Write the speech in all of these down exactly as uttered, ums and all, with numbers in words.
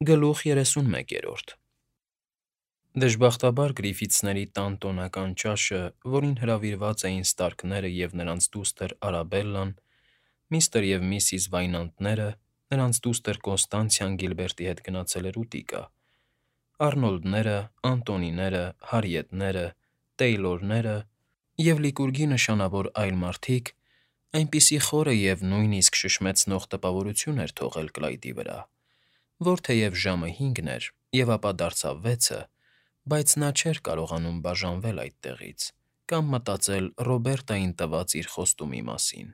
Գլուխ երեսունմեկերորդ Դժբախտաբար Գրիֆիթսների տան տոնական ճաշը, որին հրավիրված էին Ստարկները և նրանց դուստր Արաբելլան, միստր և միսիս Վայնանդները, նրանց դուստր Կոնստանցիան Գիլբերտի հետ գնացել էր ուտիկա, Առնոլդները, Անտոնիները, Հարիետները, Տեյլորները և Լիկուրգի նշանավոր այլ մարդիկ այնպիսի խորը և նույնիսկ շշմեցնող տպավորություն էր թողել Կլայդի վրա, որ թեև ժամը հինգն էր և ապա դարձավ վեցը, բայց նա չէր կարողանում բաժանվել այդտեղից կամ մտածել Ռոբերտային տված իր խոստումի մասին.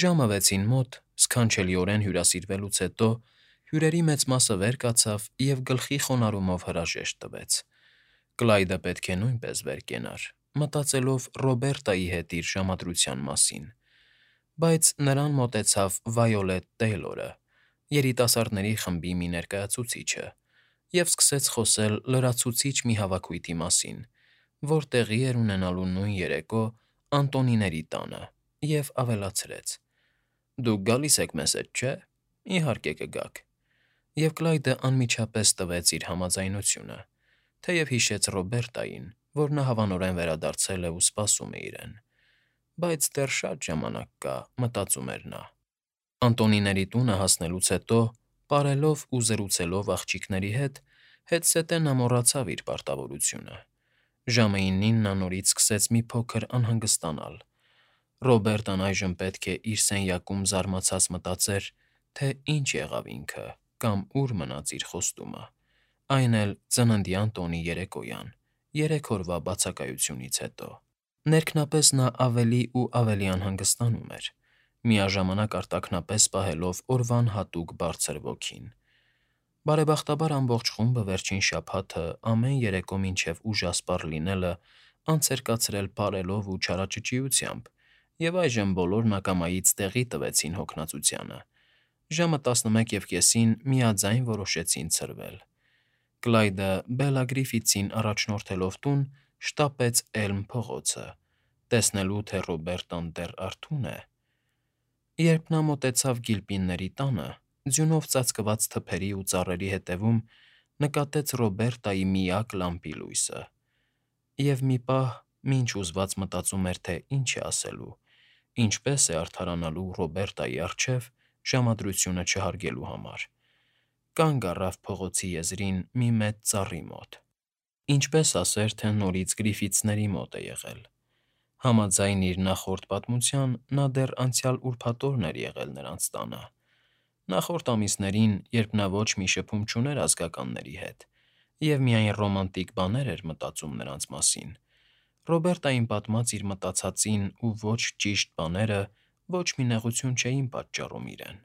ժամը վեցին մոտ, սքանչելիորեն հյուրասիրվելուց հետո, հյուրերի մեծ մասը վեր կացավ և գլխի խոնարհումով հրաժեշտ տվեց. Կլայդը պետք է նույնպես վեր կենար, մտածելով Ռոբերտայի հետ իր ժամադրության մասին, բայց նրան մոտեցավ Վայոլետ Տեյլորը, երիտասարդների խմբի մի ներկայացուցիչը, և սկսեց խոսել լրացուցիչ մի հավաքույթի մասին, որ տեղի էր ունենալու նույն երեկո Անտոնիների տանը, և ավելացրեց. «Դուք գալիս եք մեզ հետ, չէ՞, իհարկե կգաք», և Կլայդը անմիջապես տվեց իր համաձայնությունը, թեև հիշեց Ռոբերտային, որ նա հավանորեն վերադարձել է ու սպասում է իրեն, բայց դեռ շատ ժամանակ կա, մտածում էր նա. Անտոնիների տունը հասնելուց հետո, պարելով ու զրուցելով աղջիկների հետ, հետզհետե նա մոռացավ իր պարտավորությունը. ժամը իննին նա նորից սկսեց մի փոքր անհանգստանալ. Ռոբերտն այժմ պետք է իր սենյակում զարմացած մտածեր, թե ինչ եղավ ինքը կամ ուր մնաց իր խոստումը, այն էլ ծննդյան տոնի երեկոյան, երեք օրվա բացակայությունից հետո: Ներքնապես նա ավելի ու ավելի անհանգստանում էր, միաժամանակ արտաքնապես պահելով օրվան հատուկ բարձր ոգին: Բարեբախտաբար ամբողջ խումբը վերջին շաբաթը ամեն երեկո մինչև ուժասպառ լինելը անց էր կացրել պարելով ու չարաճճիությամբ, և այժմ բոլորն ակամայից տեղի տվեցին հոգնածությանը, ժամը տասնմեկուկեսին միաձայն որոշեցին ցրվել: Կլայդը, Բելլա Գրիֆիթսին առաջնորդելով տուն, շտապեց Էլմ փողոցը, տեսնելու, թե Ռոբերտան դեռ արթո՞ւն է: Երբ նա մոտեցավ Գիլպինների տանը, ձյունով ծածկված թփերի ու ծառերի ետևում նկատեց Ռոբերտայի միակ լամպի լույսը, և մի պահ, մինչ ուզված մտածում էր, թե ինչ է ասելու, ինչպես է արդարանալու Ռոբերտայի առջև ժամադրությունը չհարգելու համար, կանգ առավ փողոցի եզրին մի մեծ ծառի մոտ: Ինչպես ասեր, թե նորից Գրիֆիթսների մոտ է եղել: Համաձայն իր նախորդ պատմության, նա դեռ անցյալ ուրբաթօրն էր եղել նրանց տանը: Նախորդ ամիսներին, երբ նա ոչ մի շփում չուներ ազգականների հետ և միայն ռոմանտիկ բաներ էր մտածում նրանց մասին, Ռոբերտային պատմած իր մտածածին ու ոչ ճիշտ բաները ոչ մի նեղություն չէին պատճառում իրեն: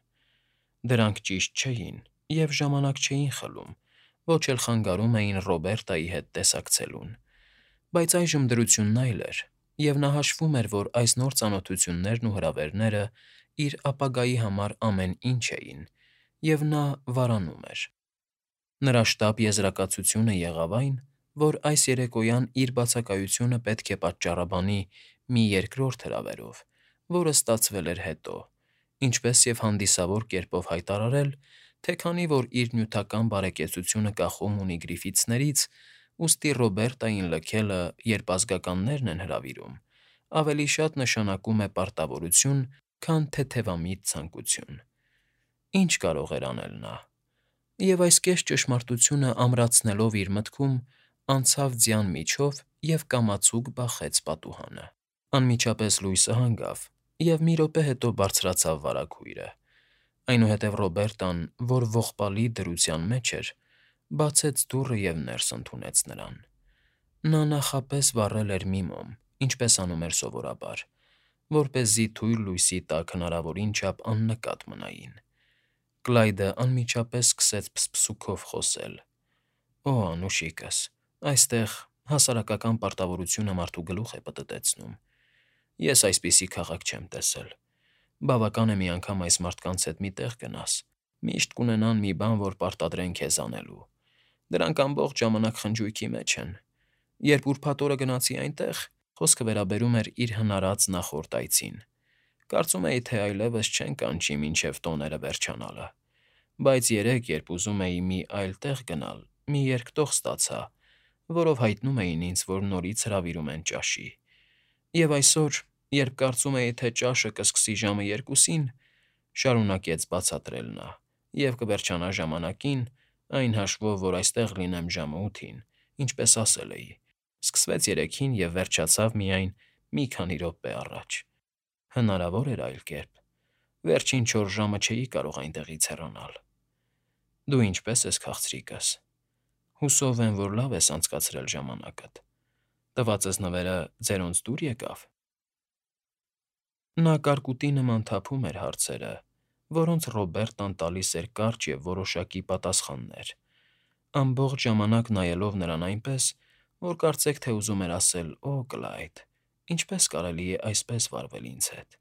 Դրանք ճիշտ չէին և ժամանակ չէին խլում, ոչ էլ խանգարում էին Ռոբերտայի հետ տեսակցելուն: Բայց այժմ դրությունն այլ էր, և նա հաշվում էր, որ այս նոր ծանոթություններն ու հրավերները իր ապագայի համար ամեն ինչ էին, և նա վարանում էր: Նրա շտապ եզրակացությունը եղավ այն, որ այս երեկոյան իր բացակայությունը պետք է պատճառաբանի մի երկրորդ հրավերով, որը ստացվել էր հետո, ինչպես և հանդիսավոր կերպով հայտարարել, թե քանի որ իր նյութական բարեկեցությունը կախում ունի Գրիֆիթսներից, ուստի Ռոբերտային լքելը, երբ ազգականներն են հրավիրում, ավելի շատ նշանակում է պարտավորություն, քան թեթևամիտ ցանկություն: Ինչ կարող էր անել նա: Եվ այս կես ճշմարտությունը ամրացնելով իր մտքում, անցավ ձյան միջով և կամացուկ բախեց պատուհանը: Անմիջապես լույսը հանգավ, և մի րոպե հետո բարձրացավ վարագույրը: Այնուհետև Ռոբերտան, որ ողբալի դրության մեջ էր, բացեց դուռը և ներս ընդունեց նրան: Նա նախապես վառել էր մի մոմ, ինչպես անում էր սովորաբար, որպեսզի թույլ լույսի տակ հնարավորին չափ աննկատ մնային: Կլայդը անմիջապես սկսեց փսփսուքով խոսել. «Օ, անուշիկս, այստեղ հասարակական պարտավորությունը մարդու գլուխ է պտտեցնում: Ես այսպիսի քաղաք չեմ տեսել: Բավական է մի անգամ այս մարդկանց հետ մի տեղ գնաս, միշտ կունենան մի բան, որ պարտադրեն քեզ անելու: Դրանք ամբողջ ժամանակ խնջույքի մեջ են: Երբ ուրբաթ օրը գնացի այնտեղ, խոսքը վերաբերում էր իր հնարած նախորդ այցին, կարծում էի, թե այլևս չեն կանչի մինչև տոները վերջանալը: Բայց երեկ, երբ ուզում էի մի այլ տեղ գնալ, մի երկտող ստացա, որով հայտնում էին ինձ, որ նորից հրավիրում են ճաշի։ Եվ այսօր, երբ կարծում էի, թե ճաշը կսկսի ժամը երկուսին, շարունակեց բացատրել նա, և կվերջանա ժամանակին, այն հաշվով, որ այստեղ լինեմ ժամը ութին, ինչպես ասել էի, սկսվեց երեքին և վերջացավ միայն մի քանի րոպե առաջ։ Հնարավոր էր այլ կերպ։ Վերջին չորս ժամը չէի կարող այնտեղից հեռանալ։ Դու ինչպե՞ս ես, քաղցրիկս։ Հուսով եմ, որ լավ ես անցկացրել ժամանակդ։ Տվածս նվերը ձերոնց դուր եկավ։ Նա կարկուտի նման թափում էր հարցերը, որոնց Ռոբերտան տալիս էր կարճ և որոշակի պատասխաններ, ամբողջ ժամանակ նայելով նրան այնպես, որ կարծեք թե ուզում էր ասել. «Օ, Կլայդ, ինչպե՞ս կարելի է այսպես վարվել ինձ հետ»։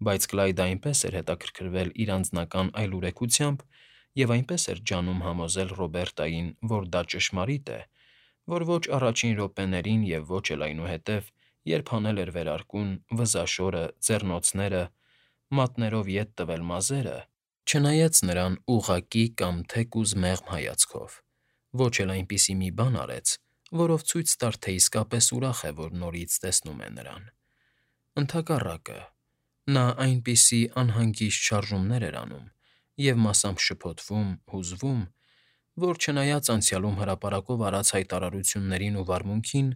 Բայց Կլայդը այնպես էր հետաքրքրվել իր անձնական այլուրեկությամբ և այնպես էր ջանում համոզել Ռոբերտային, որ դա ճշմարիտ է, որ ոչ առաջին րոպեներին և ոչ էլ այնուհետև, երբ հանել էր վերարկուն, վզաշորը, ձեռնոցները, մատներով ետ տվել մազերը, չնայեց նրան ուղղակի կամ թեկուզ մեղմ հայացքով, ոչ էլ այնպիսի մի բան արեց, որով ցույց տար, թե իսկապես ուրախ է, որ նորից տեսնում է նրան։ Ընդհակառակը, նա այնպիսի անհանգիստ շարժումներ էր անում և մասամբ շփոթվում, հուզվում, որ չնայած անցյալում հրապարակով արած հայտարարություններին ու վարմունքին,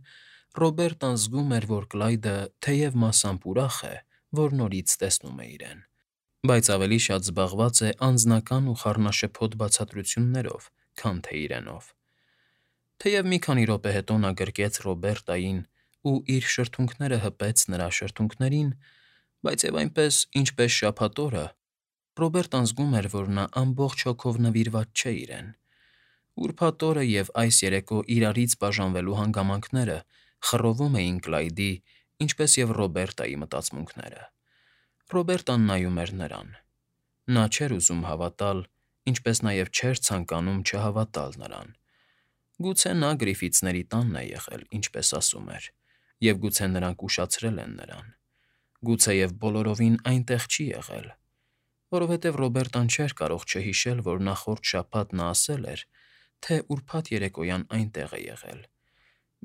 Ռոբերտան զգում էր, որ Կլայդը թեև մասամբ ուրախ է, որ նորից տեսնում է իրեն, բայց ավելի շատ զբաղված է անձնական ու խառնաշփոթ բացատրություններով, քան թե իրենով։ Թեև մի քանի րոպե հետո նա գրկեց Ռոբերտային ու իր շրթունքները հպեց նրա շրթունքներին, բայց և այնպես, ինչպես շաբաթ օրը, Ռոբերտան զգում էր, որ նա ամբողջ հոգով նվիրված չէ իրեն։ Ուրբաթ օրը և այս երեկո իրարից բաժանվելու հանգամանքները խռովում էին Կլայդի, ինչպես և Ռոբերտայի մտածմունքները։ Ռոբերտան նայում էր նրան։ Նա չէր ուզում հավատալ, ինչպես նաև չէր ցանկանում չհավատալ նրան։ Գուցե նա Գրիֆիթսների տանն է եղել, ինչպես ասում էր, և գուցե նրանք ուշացրել են նրան։ Գուցեև բոլորովին այնտեղ չի եղել, որովհետև Ռոբերտան չէր կարող չհիշել, որ նախորդ շաբաթ նա ասել էր, թե ուրբաթ երեկոյան այնտեղ է եղել,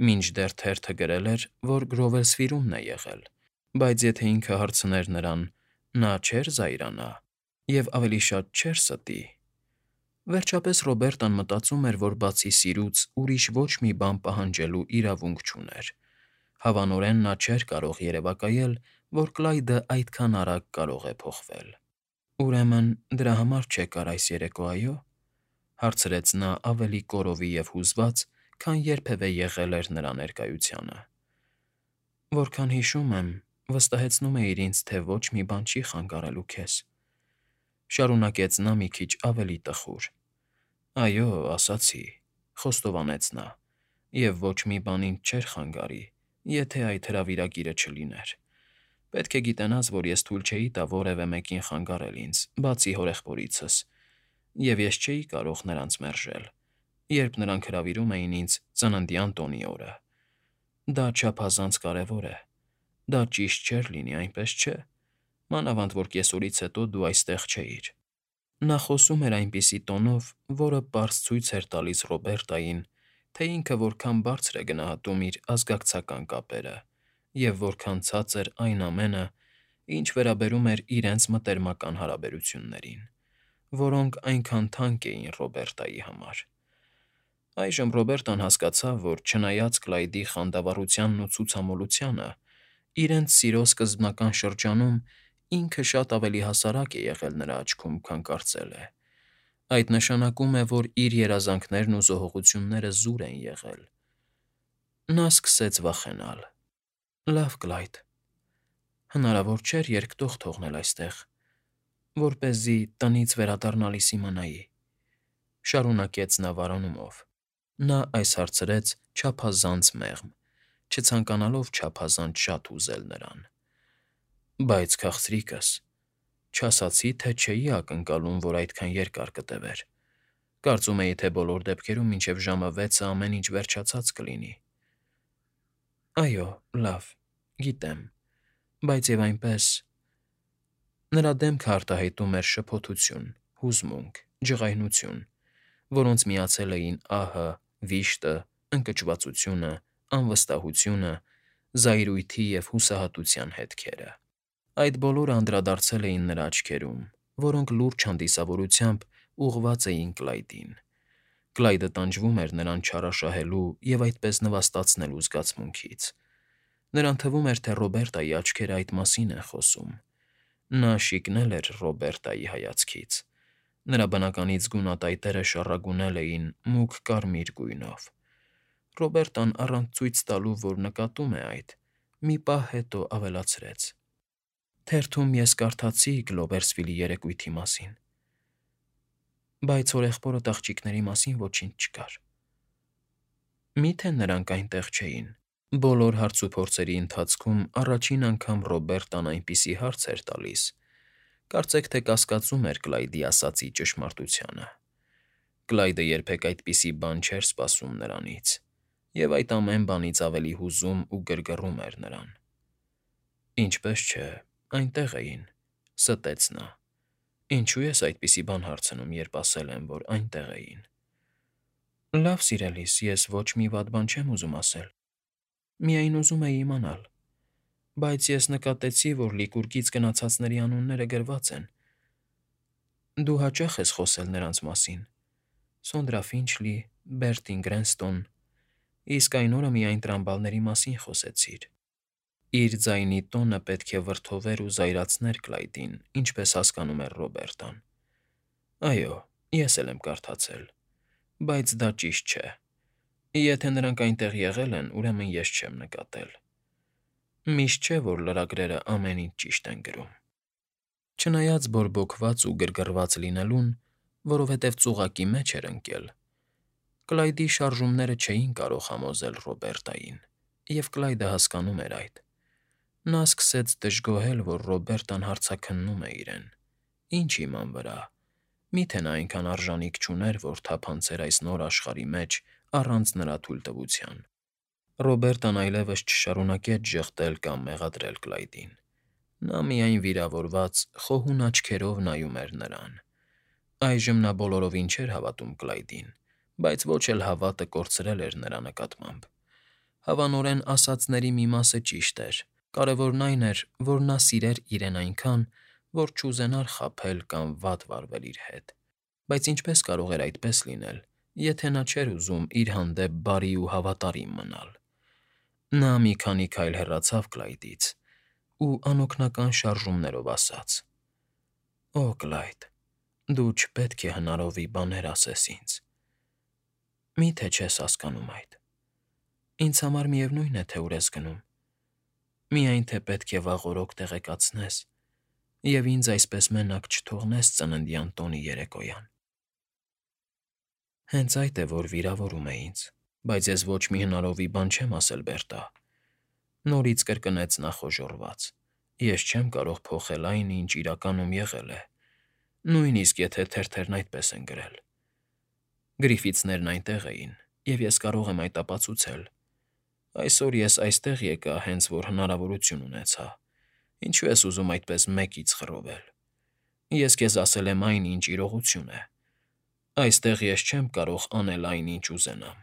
մինչդեռ թերթը գրել էր, որ Գրովերսֆիրումն է եղել, բայց եթե ինքը հարցներ նրան, նա չէր զայրանա և ավելի շատ չէր ստի։ Վերջապես Ռոբերտան մտածում էր, որ բացի սիրուց ուրիշ ոչ մի բան պահանջելու իրավունք չուներ։ Հավանորեն նա չէր կարող երևակայել, որ Կլայդը այդքան արագ կարող է փոխվել։ «Ուրեմն դրա համար չեկար այս երեկո, այո՞», հարցրեց նա ավելի կորովի և հուզված, քան երբևէ եղել էր նրա ներկայությանը։ «Որքան հիշում եմ, վստահեցնում էիր ինձ, թե ոչ մի բան չի խանգարելու քեզ», շարունակեց նա մի քիչ ավելի տխուր։ «Այո, ասացի», խոստովանեց նա, «և ոչ մի բան ինձ չէր խանգարի, եթե այդ հրավիրագիրը չլիներ։ Պետք է գիտենաս, որ ես թույլ չէի տա որևէ մեկին խանգարել ինձ, բացի հորեղբորիցս, և ես չէի կարող նրանց մերժել, երբ նրանք հրավիրում էին ինձ ծննդյան տոնի օրը։ Դա չափազանց կարևոր է։ Դա ճիշտ չէր լինի, այնպես չէ՞, մանավանդ որ կեսօրից հետո դու այստեղ չէիր»։ Նա խոսում էր այնպիսի տոնով, որը պարզ ցույց էր տալիս Ռոբերտային, թե ինքը որքան բարձր է գնահատում իր ազգակցական կապերը և որքան ցածր այն ամենը, ինչ վերաբերում էր իրենց մտերմական հարաբերություններին, որոնք այնքան թանկ էին Ռոբերտայի համար։ Այժմ Ռոբերտան հասկացավ, որ չնայած Կլայդի խանդավառությանն ու ցուցամոլությանը, իրենց սիրո սկզբնական շրջանում ինքը շատ ավելի հասարակ է եղել նրա աչքում, քան կարծել է։ Այդ նշանակում է, որ իր երազանքներն ու զոհողությունները զուր են եղել։ Նա սկսեց վախենալ։ «Լավ, Կլայդ, հնարավոր չէր երկտող թողնել այստեղ, որպեսզի տնից վերադառնալիս իմանայի», շարունակեց նա վարանումով։ Նա այս հարցրեց չափազանց մեղմ, չցանկանալով չափազանց շատ հուզել նրան։ «Բայց, քաղցրիկս, չասացի, թե չէի ակնկալում, որ այդքան երկար կտևեր։ Կարծում էի, թե բոլոր դեպքերում մինչև ժամը վեցը ամեն ինչ վերջացած կլինի»։ «Այո, լավ, գիտեմ, բայց և այնպես…» Նրա դեմքը արտահայտում էր շփոթություն, հուզմունք, ջղայնություն, որոնց միացել էին ահը, վիշտը, ընկճվածությունը, անվստահությունը, զայրույթի և հուսահատության հետքերը։ Այդ բոլորը անդրադարձել էին նրա աչքերում, որոնք լուրջ հանդիսավորությամբ ուղղված էին Կլայդին։ Կլայդը տանջվում էր նրան չարաշահելու և այդպես նվաստացնելու զգացմունքից։ Նրան թվում էր, թե Ռոբերտայի աչքերը այդ մասին են խոսում։ Նա շիկնել էր Ռոբերտայի հայացքից։ Նրա բնականից գունատայտերը շառագունել էին մուգ կարմիր գույնով։ Ռոբերտան, առանց ցույց տալու, որ նկատում է այդ, մի պահ հետո ավելացրեց. «Թերթում ես կարդացի Գլոբերսվիլի երեկույթի մասին, բայց հորեղբորդ աղջիկների մասին ոչինչ չկար»։ Մի՞թե նրանք այնտեղ չէին։ Բոլոր հարցուփորձերի ընթացքում առաջին անգամ Ռոբերտան այնպիսի հարց էր տալիս, կարծեք թե կասկածում էր Կլայդի ասածի ճշմարտությանը։ Կլայդը երբեք այդպիսի բան չէր սպասում նրանից, և այդ ամեն բանից ավելի հուզում ու գրգռում էր նրան։ «Ինչպես չէ, այնտեղ էին,֊ ստեց նա։ Ինչու ես այդպիսի բան հարցնում, երբ ասել եմ, որ այնտեղ էին»։ «Լավ, սիրելիս, ես ոչ մի վատ բան չեմ ուզում ասել, միայն ուզում էի իմանալ։ Բայց ես նկատեցի, որ Լիկուրգից գնացածների անունները գրված են։ Դու հաճախ ես խոսել նրանց մասին՝ Սոնդրա Ֆինչլի, Բերտին Գրենստոն, իսկ այն օրը միայն տրամբալների մասին խոսեցիր։ Իր ձայնի տոնը պետք է վրդովեր ու զայրացներ Կլայդին, ինչպես հասկանում էր Ռոբերտան։ «Այո, ես էլ եմ կարդացել, բայց դա ճիշտ չէ։ Եթե նրանք այնտեղ եղել են, ուրեմն ես չեմ նկատել։ Միշտ չէ, որ լրագրերը ամեն ինչ ճիշտ են գրում»։ Չնայած բորբոքված ու գրգռված լինելուն, որովհետև ծուղակի մեջ էր ընկել, Կլայդի շարժումները չէին կարող համոզել Ռոբերտային, և Կլայդը հասկանում էր այդ։ Նա սկսեց դժգոհել, որ Ռոբերտան հարցաքննում է իրեն։ Ինչ իման վրա։ Մի՞թե նա այնքան արժանիք չուներ, որ թափանցեր այս նոր աշխարհի մեջ առանց նրա թույլտվության։ Ռոբերտան այլևս չշարունակեց ժխտել կամ մեղադրել Կլայդին։ Նա միայն վիրավորված, խոհուն աչքերով նայում էր նրան։ Այժմ նա բոլորովին չէր հավատում Կլայդին, բայց ոչ էլ հավատը կորցրել էր նրա նկատմամբ։ Հավանորեն ասածների մի մասը ճիշտ էր, կարևորն այն էր, որ նա սիրեր իրեն այնքան, որ չուզենար խաբել կամ վատ վարվել իր հետ։ Բայց ինչպես կարող էր այդպես լինել, եթե նա չէր ուզում իր հանդեպ բարի ու հավատարիմ մնալ։ Նա մի քանի քայլ հեռացավ Կլայդից ու անօգնական շարժումներով ասաց. «Օ, Կլայդ, դու չպետք է հնարովի բաներ ասես ինձ։ Մի՞թե չես հասկանում այդ։ Ինձ համար միևնույն է, թե ուր ես գնում, միայն թե պետք է վաղօրոք տեղեկացնես և ինձ այսպես մենակ չթողնես ծննդյան տոնի երեկոյան»։ «Հենց այդ է, որ վիրավորում է ինձ, բայց ես ոչ մի հնարովի բան չեմ ասել, Բերտա,֊ նորից կրկնեց նա խոժոռված։֊ Ես չեմ կարող փոխել այն, ինչ իրականում եղել է, նույնիսկ եթե թերթերն այդպես են գրել։ Գրիֆիթսներն այնտեղ էին, և ես կարող եմ այդ ապացուցել։ Այսօր ես այստեղ եկա, հենց որ հնարավորություն ունեցա։ Ինչու ես ուզում այդպես մեկից խռովել։ Ես քեզ ասել եմ այն, ինչ իրողություն է։ Այստեղ ես չեմ կարող անել այն, ինչ ուզենամ։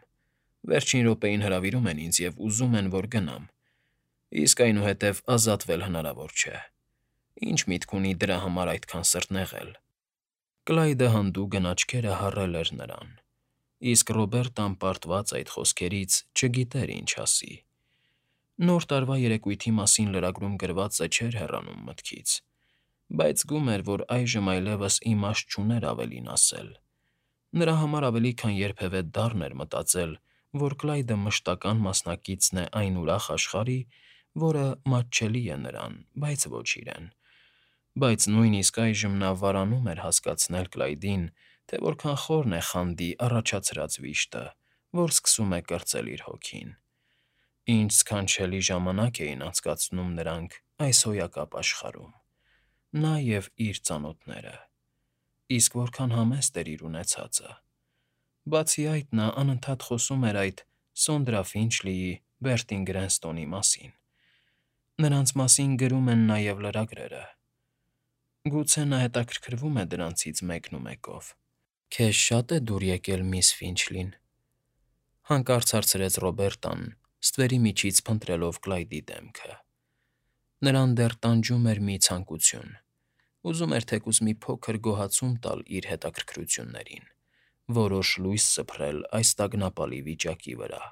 Վերջին րոպեին հրավիրում են ինձ և ուզում են, որ գնամ, իսկ այնուհետև ազատվել հնարավոր չէ։ Ինչ միտք ունի դրա համար այդքան սրտնեղել»։ Կլայդը հանդուգն աչքերը հառել էր նրան, իսկ Ռոբերտան, պարտված այդ խոսքերից, չգիտեր ինչ ասի։ Նոր տարվա երեկույթի մասին լրագրում գրվածը չէր հեռանում մտքից, բայց զգում էր, որ այժմ այլևս իմաստ չուներ ավելին ասել։ Նրա համար ավելի քան երբևէ դառն էր մտածել, որ Կլայդը մշտական մասնակիցն է այն ուրախ աշխարհի, որը մատչելի է նրան, բայց ոչ իրեն։ Բայց նույնիսկ այժմ նա վարանում էր հասկացնել Կլայդին, թե որքան խորն է խանդի առաջացրած վիշտը, որ սկսում է կրծել իր հոգին։ Ինչ սքանչելի ժամանակ էին անցկացնում նրանք այս հոյակապ աշխարհում՝ նա և իր ծանոթները, իսկ որքան համեստ էր իր ունեցածը։ Բացի այդ, նա անընդհատ խոսում էր այդ Սոնդրա Ֆինչլիի, Բերտին Գրենստոնի մասին։ Նրանց մասին գրում են նաև լրագրերը։ Գուցե նա հետաքրքրվում է դրանցից մեկն ու մեկով։ Քեզ շա՞տ է դուր եկել միս Ֆինչլին,֊ հանկարծ հարցրեց Ռոբերտան, ստվերի միջից փնտրելով Կլայդի դեմքը. նրան դեռ տանջում էր մի ցանկություն. ուզում էր թեկուզ մի փոքր գոհացում տալ իր հետաքրքրություններին, որոշ լույս սփռել այս տագնապալի վիճակի վրա։